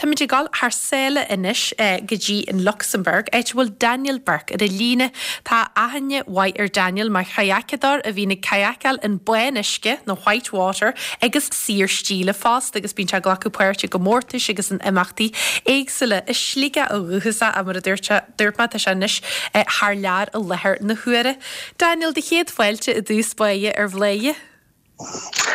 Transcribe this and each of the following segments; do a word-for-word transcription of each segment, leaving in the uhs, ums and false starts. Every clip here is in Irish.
Táimid ag dul thar sáile anois go dtí an Lucsamburg, áit a bhfuil Daniel Burke ar an líne. Tá aithne mhaith ar Daniel mar chadhacadóir a bhíonn ag cadhacáil in bánuisce nó white water agus saorstíle fosta agus bíonn sé ag glacadh páirt i gcomórtais agus in imeachtaí éagsúla as Sligeach ó dhúchas é mar a dúirt dúirt mé tá sé anois thar lear i láthair na huaire. Daniel do chéad fáilte i dtús báire ar Bhladhaire.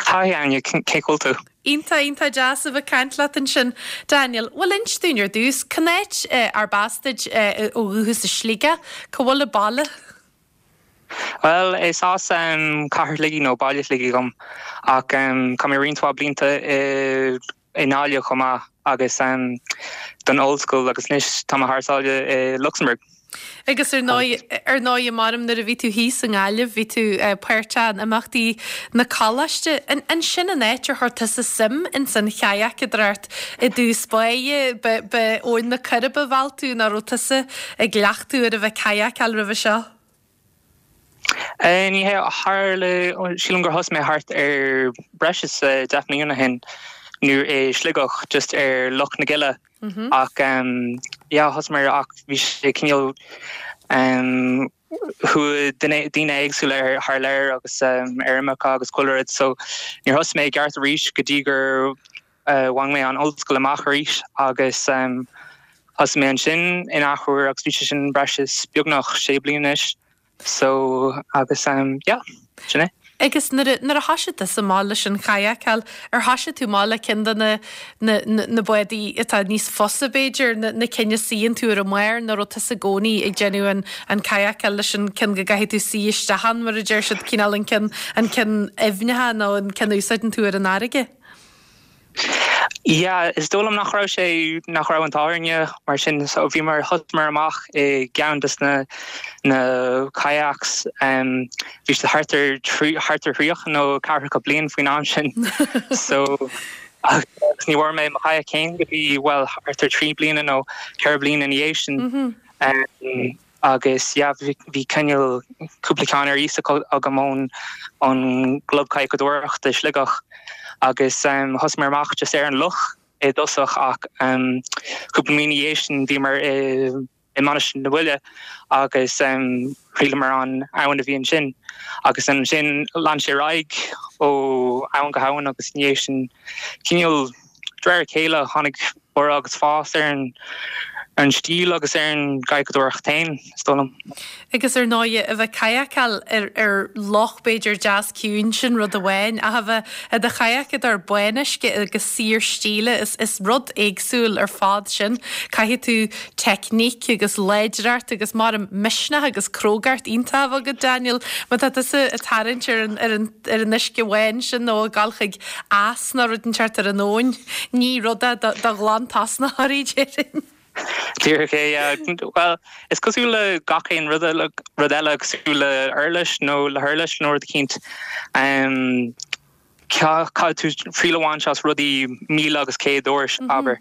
Hi Áine cén chaoi bhfuil tú. Iontach iontach deas a bheith ag caint leat ansin. Daniel, bhfuil inis dúinn ar dtús cén áit arb as duit ó dhúchas i Sligeach, cá bhfuil an baile? Well is as um, cathair Shligigh nó baile Shligigh dom ach um, chaith mé roinnt blianta i i nGaillimh chomh maith agus um, don ollscoil agus anois tá thar sáile i Luxembourg. Agus ar ndóigh ar ndóigh maram nuair a bhí tú thíos i nGaillimh bhí tú páirteach in imeachtaí na coláiste. An sin an áit ar chuir tusa suim in san chadhacadóireacht i dtús báire ba Abhainn na Coiribe a mheall tú nó raibh tusa ag cleachtadh ar a bheith cadhacáil roimhe seo. Ní hé tharla sílim gur thosaigh mé thart ar breis is deich mbliana ó shin nó i Sligeach just ar Loch na Gile mm -hmm. ach um, yeah, thosaigh mé ach bhí sé cineál um, chuaigh daoine éagsúla ar thar lear agus um, ar imirce agus chuile rud so níor thosaigh mé ceart arís go dtí gur uh, bhain mé an ollscoil amach arís agus um, thosaigh mé ansin in athuair agus bhí sé sin breis is beagnach sé bliana anois so agus um, yeah, sin é. Agus nuair a thosaigh tú amach leis an chadhacáil ar thosaigh tú amach le ceann de na, na, na, na bádaí atá níos fusa b'fhéidir na, na cinn a suíonn tú ar an mbarr nó raibh tú i gcónaí ag déanamh an, an cadhacáil leis an ceann go gcaithfidh tú suí isteach ann mar a deir siad cineál an ceann an ceann aibhneacha nó an ceann úsáideann tú ar an fharraige. Yeah, is dóigh liom nach raibh sé nach raibh an t-ádh mar sin so bhí mar thosaigh amach i gceann des na na kayaks um, bhí sé thart ar thart ar thríocha nó ceathracha bliain faoin am sin so agus ní bhfuair mé mo kayak féin go dtí well thart ar trí bliana nó ceithre bliana ina dhiaidh sin mm -hmm. um, agus yeah, bhí cineál cúpla ceann ar iasacht agam ón an gclub cadhcadóireachta Sligeach agus um, thosaigh mé amach just ar an loch i dtosach ach um, cúpla mí ina dhiaidh sin bhí mar i i Mainistir na Bhaile agus um, thriaileamar an abhainn a bhí ansin agus ansin lean sé ar aghaidh ó abhainn go habhainn agus ina dhiaidh sin cineál de réir a chéile tháinig borradh agus fás ar an an stíl agus ar an gcadhcadóireacht féin is dóigh liom. Agus ar ndóigh a bheith cadhacáil ar ar loch b'fhéidir deas ciúin sin rud amháin a bheith i do chayak ar bánuisce agus saorstíle is is rud éagsúil ar fad sin. Caithfidh tú teicníc agus láidreacht agus mar misneach agus crógacht iontach agat Daniel, má tá tusa ag tarraingt ar an ar an ar an uisce bhán sin nó ag dul chuig eas nó rud inteacht ar an abhainn, ní rud é do ghlantosnaitheoirí déarfainn. Díreach é well is cosúil le gach aon rud rud eile cosúil le uirlis nó le huirlis nó rud eicínt um, caithfidh tú triail a bhaint as rudaí míle agus céad uair mm -hmm. abair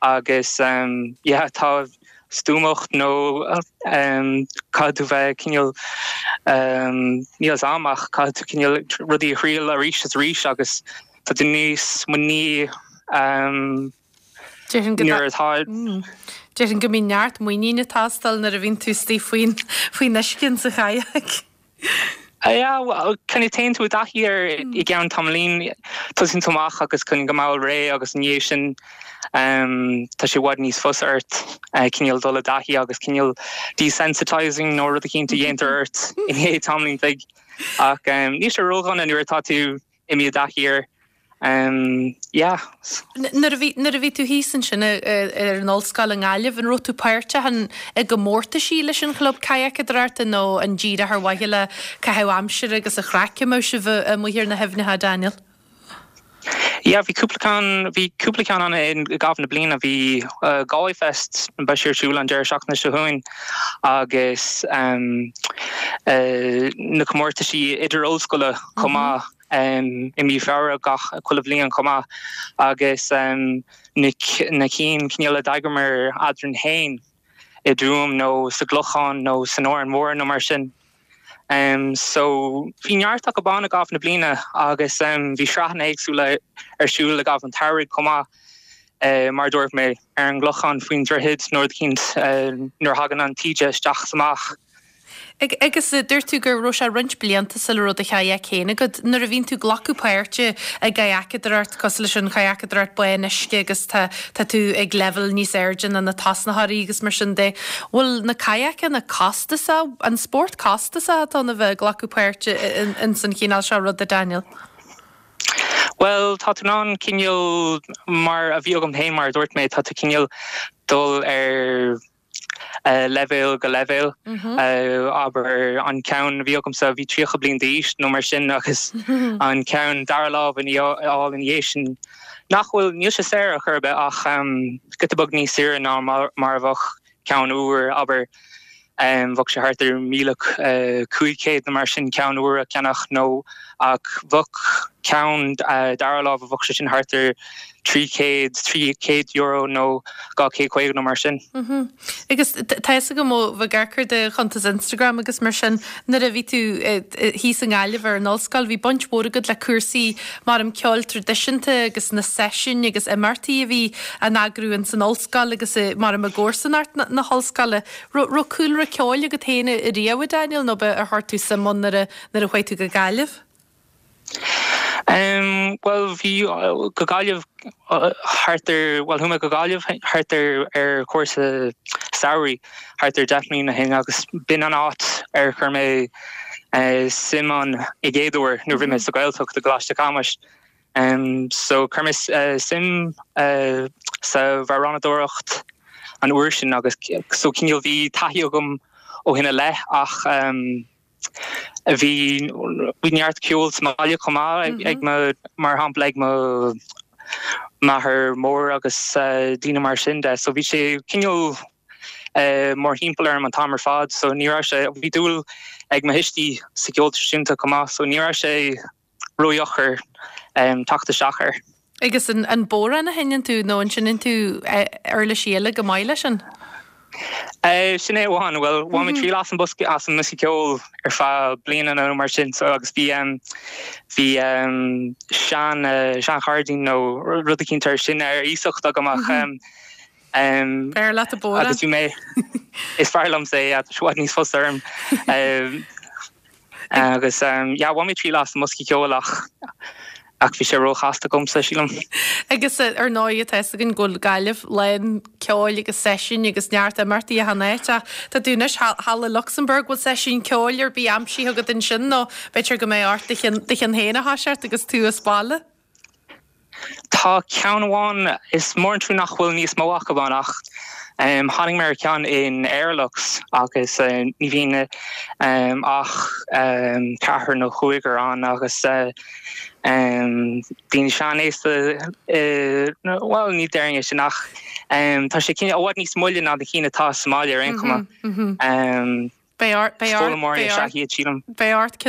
agus um, yeah, tá stuamacht nó um, caithfidh tú bheith cineál um, níos amach caithfidh tú cineál rudaí a thriail arís is arís agus tá tú níos muiníní um, nuair atá Déarfainn go mbíonn neart muiníne ag teastáil nuair a bhíonn tú istigh faoin faoin uisce sa chayak. Chun téann tú i dtaithí air i gceann tamaillín tosaíonn tú amach agus chun go mall réidh agus ina dhiaidh sin um, tá sé i bhfad níos fusa ort uh, cineál dul i dtaithí agus cineál desensitizing nó rud eicínt a dhéantar ort i ndiaidh tamaillín bheag ach um, níl sé ródhona nuair atá tú imithe i dtaithí air. Um, yeah. Nuair a bhí tú thíos ansin ar an ollscoil i nGaillimh an raibh tú páirteach i gcomórtaisí leis an chlub cadhcadóireachta nó an díreach ar mhaithe le caitheamh aimsire agus an chraic a bheadh sibh amuigh ar na haibhneacha Daniel. Yeah, bhí cúpla ceann bhí cúpla ceann ann i gcaitheamh na bliana bhí uh, Galway Fest beidh sé ar siúl an deireadh seachtaine seo chugainn agus um, uh, na comórtaisí idir ollscoile chomh maith um, i mí Feabhra gach chuile bhliain chomh maith agus um, na, na cinn cineál a d'eagraíomar eadrainn féin i dTuaim nó sa gClochán nó san Árainn Mhór nó mar sin. Um, so bhí neart acu ann i gcaitheamh na bliana agus um, bhí sraitheanna éagsúla ar siúl i gcaitheamh an tsamhraidh chomh maith. mar dúirt mé ar an gclochán faoin droichead nó rud eicínt nuair a thagann an taoide isteach is amach. Agus dúirt tú go raibh sé roinnt blianta sula raibh do chadhach féin agat. Nuair a bhíonn tú ag glacadh páirte i gcadhacadóireacht cosúil leis an chadhacadóireacht bán uisce agus tá tá tú ag leibhéal níos airde ná na tosnaitheoirí agus mar sin de, bhfuil na cadhacanna costasach, an spórt costasach atá ann a bheith ag glacadh páirte in san chineál seo ruda Daniel? Well tá tú in ann cineál mar a bhí agam féin mar a dúirt mé tá tú cineál dul ar uh, leibhéal go leibhéal mm -hmm. uh, abair an ceann a bhí agamsa bhí tríocha bliain d'aois nó mar sin agus an ceann dara lámh in all in sin nach bhfuil níl sé saor ar chor ar bith ach um, giota beag níos saoire ná mar, mar a bheadh ceann úr abair um, bheadh sé thart ar míle uh, cúig chéad nó mar sin ceann úr a cheannach nó ach bheadh ceann uh, dara lámh bheadh sé sin thart ar trí chéad trí chéad euro nó dhá chéad caoga nó mar sin. Mm -hmm. Agus tá go ó bh garchur de chuntas Instagram agus mar sin nuair a bhí tú thíos i nGaillimh ar an ollscoil bhí baint mhór agat le cúrsaí mar an ceol traidisiúnta agus na seisiúin agus imeachtaí a bhí á n-eagrú in san ollscoil agus mar am i gcomharsanacht na, na hollscoile. Raibh cúlra ceoil agat féin riamh Daniel nó ar chuir tú suim ann nuair a chuaigh tú go Gaillimh? Um, well bhí go Gaillimh thart ar well chuaigh mé go Gaillimh thart ar ar chúrsa samhraidh thart ar deich mbliana ó shin agus b'in an áit ar chuir mé uh, suim ann i gcéad uair nuair bhí mé sa Ghaeltacht i gColáiste Chamuis. Um, so chuir mé uh, suim uh, sa amhránadóireacht an uair sin agus so cineál bhí taithí agam ó shin i leith ach um, bhí bhí neart ceol sa mbaile chomh maith ag mm mar shampla ag mo máthair mór agus uh, daoine mar sin de so bhí sé cineál uh, mórthimpeall orm an t-am ar fad so ní raibh sé bhí dúil ag mo thuistí sa gceol traidisiúnta chomh maith so ní raibh sé ródheacair um, teacht isteach air. Agus an, an bodhrán a sheinneann tú nó an seinneann tú uirlisí eile go maith leis sin? Uh, sin é amháin well bhain mé triail as an bosca as an mbosca ceoil ar feadh bliana nó mar sin so agus bhí um, bhí um, sean uh, seanchairdín nó rud eicínt sin ar iasacht agam ach um, um, B'fhearr leat an bodhrán agus bhí mé is fearr liomsa é i bhfad níos fusa orm um, agus um, yeah, bhain mé triail as an mbosca ceoil ach ach bhí sé róchasta domsa sílim. Agus ar ndóigh tá an go Gaillimh lán ceoil agus seisiúin agus neart imeachtaí a hanéite Tá tú anois thall i Luxembourg bhfuil seisiún ceoil ar bith aimsithe agat ansin nó b'fhéidir go mbeidh ort do cheann féin a thoiseacht agus tú as baile? Tá ceann amháin is mór an trua nach bhfuil níos mó acu ann ach um, tháinig mé ar ceann in Airlux agus uh, ní bhíonn um, ach um, ceathrar nó cúigear ann agus uh, um, daoine seanaosta uh, well ní déarfainn sin ach um, tá sé cinn i bhfad níos moille ná na cinn atá sa mbaile ar aon chuma. Um, Beidh ort ceann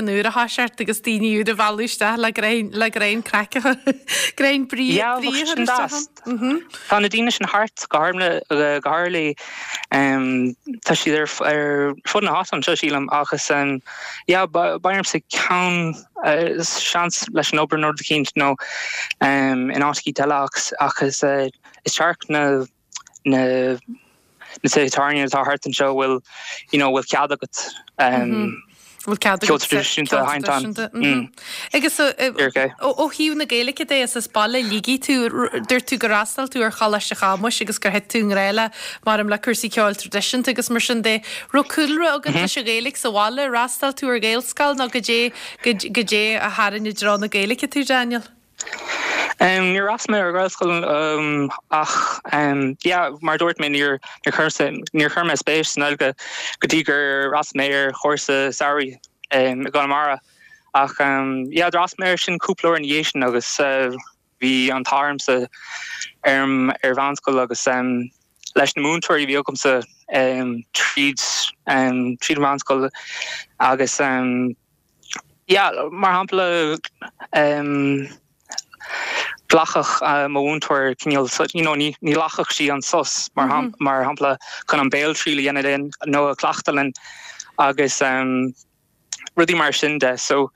úr a thoiseacht agus daoine úr a mhealladh isteach le le greann craic greann brí Tá na daoine sin thart go go háirithe tá siad ar ar fud na háite anseo sílim agus beidh ormsa ceann seans leis an obair nó rud eicínt nó in áit eile agus is tearc na na na tábhairní atá thart anseo bhfuil you know bhfuil cead agat um, ceol traidisiúnta a sheinnt ann. Agus ó thaobh na Gaeilge de is as baile ligí tú dúirt tú gur fhreastail tú ar Choláiste Chamuis agus gur thit tú i ngrá le mar am le cúrsaí ceoil traidisiúnta agus mar sin de raibh cúlra agat leis an Ghaeilge sa bhaile fhreastail tú ar Ghaelscoil nó goidé goidé a tharraing i dtreo na Gaeilge tú Daniel? Um, níor fhreastail mé ar Ghaelscoil um, ach um, yeah, mar dúirt mé níor níor chuir mé spéis sa nGaeilge go dtí gur fhreastail mé ar chúrsa samhraidh um, i gConamara ach um, yeah, d'fhreastail mé air sin cúpla uair ina dhiaidh sin agus uh, bhí an t-ádh ormsa ar ar mheánscoil agus um, leis na múinteoirí bhí agamsa um, tríd um, tríd mheánscoil agus um, yeah, mar shampla um, ghlacfadh uh, mo mhúinteoir cineál you know, ní ní ghlacfadh sí an sos mar mm -hmm. mar shampla chun an béaltriail a dhéanamh linn nó a chleachtadh linn agus um, rudaí mar sin de so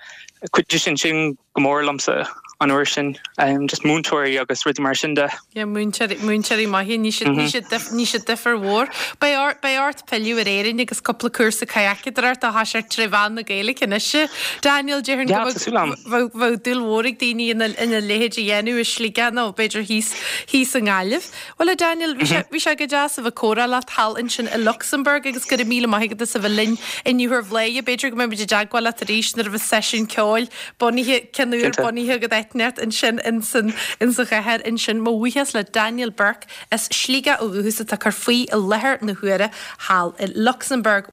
chuidigh sin sin go mór liomsa. an uair sin um, just múinteoirí agus rudaí mar sin de. Ja múinteoirí maithe ní ní sé difear mhór. Beidh ort pilleadh ar Éirinn agus cúpla cúrsa kayakeadóireachta tá sé trí mheán na Gaeilge anois. Daniel déarfainn bheadh dúil mhór ag daoine ina leithéid a dhéanamh i Sligeach nó b'fhéidir thíos thíos i nGaillimh. Well a Daniel bhí sé go deas a bheith ag comhrá leat thall ansin i Luxembourg agus go raibh míle maith agat as a bheith linn inniu ar Bhladhaire, b'fhéidir go mbeidh i dteagmháil leat arís nuair a bheas seisiún ceoil bunaithe ceanúir bunaithe go deichneart ansin insan insa chathair ansin mo bhuíochas le Daniel Burke as Sligeach ó dhúchas atá ag cur faoi i láthair na huaire thall i Luxembourg.